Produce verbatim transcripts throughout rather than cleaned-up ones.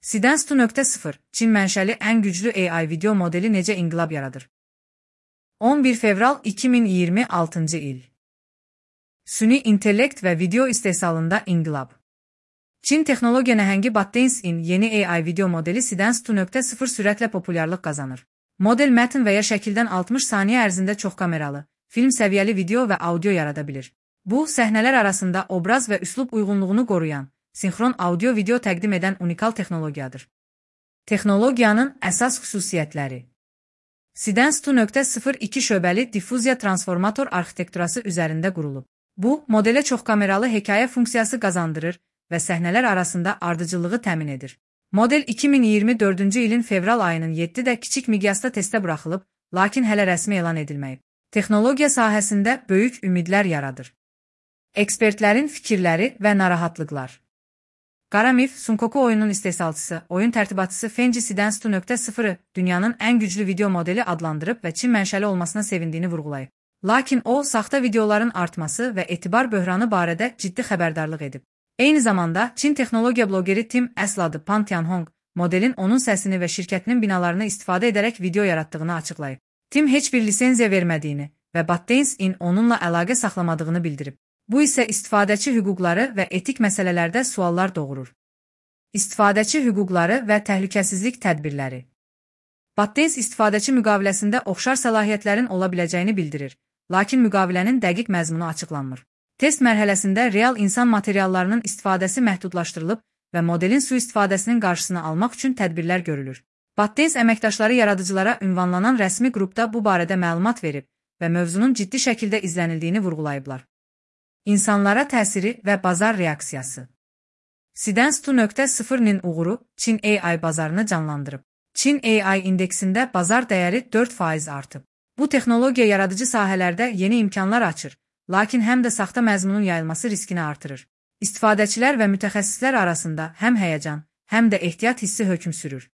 Sidens iki nöqtə sıfır Çin mənşəli ən güclü A I video modeli necə inqilab yaradır? on bir fevral iki min iyirmi altıncı il. Süni intellekt və video istehsalında inqilab. Çin texnologiya nəhəngi ByteDance'in yeni A I video modeli Sidens iki nöqtə sıfır sürətlə populyarlıq qazanır. Model mətn və ya şəkildən altmış saniyə ərzində çox kameralı, film səviyyəli video və audio yarada bilir. Bu, səhnələr arasında obraz və üslub uyğunluğunu qoruyan, sinxron audio-video təqdim edən unikal texnologiyadır. Texnologiyanın əsas xüsusiyyətləri. Sidens iki nöqtə sıfır iki şöbəli diffuziya transformator arxitekturası üzərində qurulub. Bu, modelə çoxkameralı hekayə funksiyası qazandırır və səhnələr arasında ardıcıllığı təmin edir. Model iki min iyirmi dördüncü ilin fevral ayının yeddidə kiçik miqyasda testə buraxılıb, lakin hələ rəsmi elan edilməyib. Texnologiya sahəsində böyük ümidlər yaradır. Ekspertlərin fikirləri və narahatlıqlar. Qaramif, Sunkoku oyunun istehsalçısı, oyun tərtibatçısı Fenji Sidens iki nöqtə sıfırı dünyanın ən güclü video modeli adlandırıb və Çin mənşəli olmasına sevindiyini vurğulayıb. Lakin o, saxta videoların artması və etibar böhranı barədə ciddi xəbərdarlıq edib. Eyni zamanda, Çin texnologiya blogeri Tim Əsladı Pan Tianhong, modelin onun səsini və şirkətinin binalarını istifadə edərək video yaratdığını açıqlayıb. Tim heç bir lisenziya vermədiyini və ByteDance'in onunla əlaqə saxlamadığını bildirib. Bu isə istifadəçi hüquqları və etik məsələlərdə suallar doğurur. İstifadəçi hüquqları və təhlükəsizlik tədbirləri. ByteDance istifadəçi müqaviləsində oxşar səlahiyyətlərin ola biləcəyini bildirir, lakin müqavilənin dəqiq məzmunu açıqlanmır. Test mərhələsində real insan materiallarının istifadəsi məhdudlaşdırılıb və modelin sui-istifadəsinin qarşısını almaq üçün tədbirlər görülür. ByteDance əməkdaşları yaradıcılara ünvanlanan rəsmi qrupda bu barədə məlumat verib və mövzunun ciddi şəkildə izlənildiyini vurğulayıblar. İnsanlara təsiri və bazar reaksiyası. Sidens iki nöqtə sıfırın uğuru Çin A I bazarını canlandırıb. Çin A I indeksində bazar dəyəri dörd faiz artıb. Bu texnologiya yaradıcı sahələrdə yeni imkanlar açır, lakin həm də saxta məzmunun yayılması riskini artırır. İstifadəçilər və mütəxəssislər arasında həm həyəcan, həm də ehtiyat hissi hökm sürür.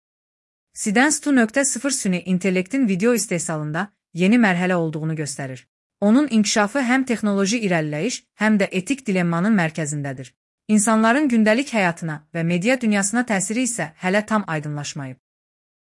Sidens iki nöqtə sıfır süni intellektin video istehsalında yeni mərhələ olduğunu göstərir. Onun inkişafı həm texnoloji irəliləyiş, həm də etik dilemmanın mərkəzindədir. İnsanların gündəlik həyatına və media dünyasına təsiri isə hələ tam aydınlaşmayıb.